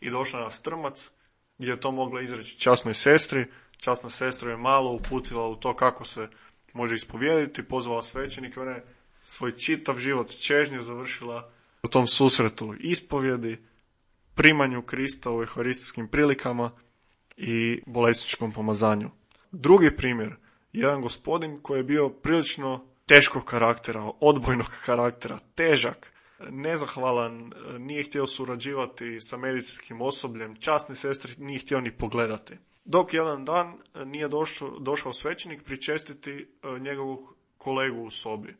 i došla na strmac gdje je to mogla izreći časnoj sestri. Časna sestra je malo uputila u to kako se može ispovijediti, pozvala svećenike, ona je svoj čitav život čežnje završila u tom susretu ispovjedi, primanju Krista u euharistijskim prilikama i bolesničkom pomazanju. Drugi primjer, jedan gospodin koji je bio prilično teškog karaktera, odbojnog karaktera, težak, nezahvalan, nije htio surađivati sa medicinskim osobljem, časne sestre nije htio ni pogledati. Dok jedan dan nije došao, došao svećenik pričestiti njegovog kolegu u sobi.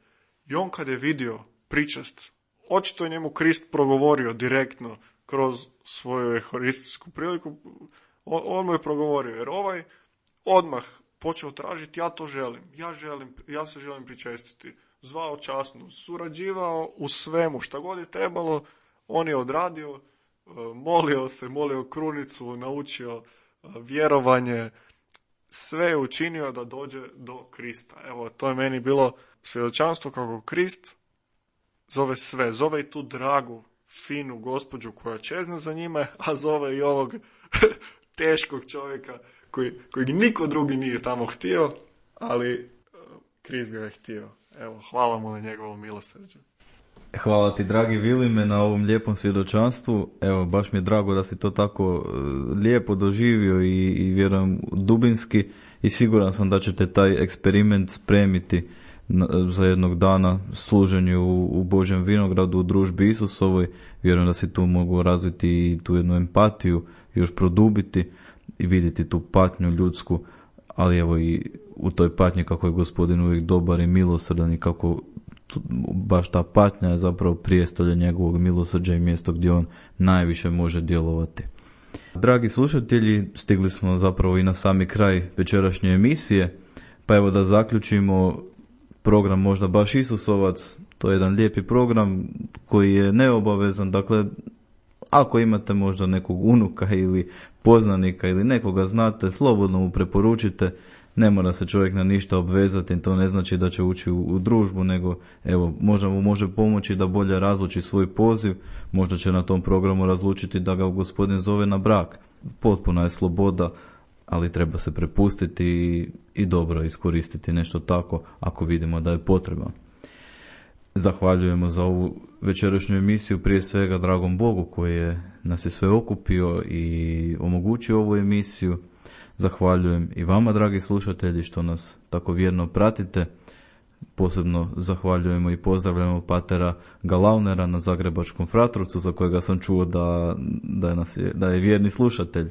I on kad je vidio pričest, očito je njemu Krist progovorio direktno kroz svoju euharistijsku priliku, on, on mu je progovorio, jer ovaj odmah počeo tražiti, ja to želim, ja želim, ja se želim pričestiti. zvao časno, surađivao u svemu, šta god je trebalo, on je odradio, molio se, molio krunicu, naučio vjerovanje, sve je učinio da dođe do Krista. Evo, to je meni bilo svjedočanstvo kako Krist zove sve, zove i tu dragu, finu gospođu koja čezne za njime, a zove i ovog teškog čovjeka koji, kojeg niko drugi nije tamo htio, ali Krist ga je htio. Evo, hvala mu na njegovom milosrđu. Hvala ti, dragi Vilime, na ovom lijepom svjedočanstvu. Evo, baš mi je drago da si to tako lijepo doživio i, i vjerujem dubinski, i siguran sam da ćete taj eksperiment spremiti na, za jednog dana služenju u, u Božjem vinogradu, u družbi Isusovoj. Vjerujem da si tu mogu razviti i tu jednu empatiju, još produbiti i vidjeti tu patnju ljudsku, ali evo i u toj patnji kako je Gospodin uvijek dobar i milosrdan i kako tu, baš ta patnja je zapravo prijestolje njegovog milosrđa i mjesto gdje on najviše može djelovati. Dragi slušatelji, stigli smo zapravo i na sami kraj večerašnje emisije, pa evo da zaključimo program Možda baš Isusovac. To je jedan lijepi program koji je neobavezan, dakle ako imate možda nekog unuka ili poznanika ili nekoga znate, slobodno mu preporučite. Ne mora se čovjek na ništa obvezati, to ne znači da će ući u, u družbu, nego evo, možda mu može pomoći da bolje razluči svoj poziv, možda će na tom programu razlučiti da ga Gospodin zove na brak. Potpuna je sloboda, ali treba se prepustiti i, i dobro iskoristiti nešto tako ako vidimo da je potreba. Zahvaljujemo za ovu večerašnju emisiju prije svega dragom Bogu koji je nas je sve okupio i omogućio ovu emisiju. Zahvaljujem i vama, dragi slušatelji, što nas tako vjerno pratite. Posebno zahvaljujemo i pozdravljamo patera Galaunera na Zagrebačkom Fratrovcu, za kojega sam čuo da, da, nas je, da je vjerni slušatelj.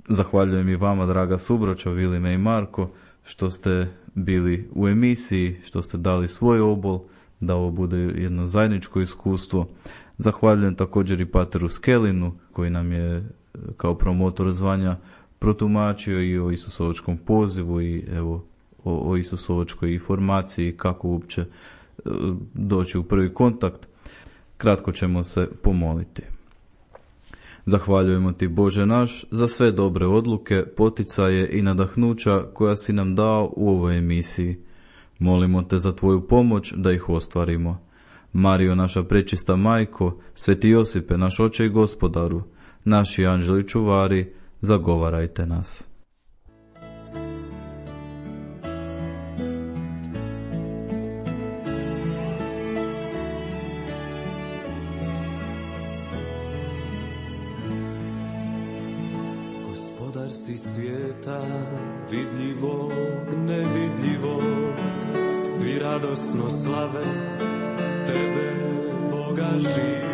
Zahvaljujem i vama, draga subroćo, Vilime i Marko, što ste bili u emisiji, što ste dali svoj obol, da ovo bude jedno zajedničko iskustvo. Zahvaljujem također i pateru Skelinu, koji nam je kao promotor zvanja protumačio i o Isusovačkom pozivu i evo o, o Isusovačkoj informaciji kako uopće doći u prvi kontakt. Kratko ćemo se pomoliti. Zahvaljujemo ti, Bože naš, za sve dobre odluke, poticaje i nadahnuća koja si nam dao u ovoj emisiji. Molimo te za tvoju pomoć da ih ostvarimo. Marijo, naša prečista majko, Sveti Josipe, naš oče i gospodaru, naši anđeli čuvari, zagovarajte nas. Gospodar si svijeta, vidljivog, nevidljivog, svi radosno slave tebe, Boga živ.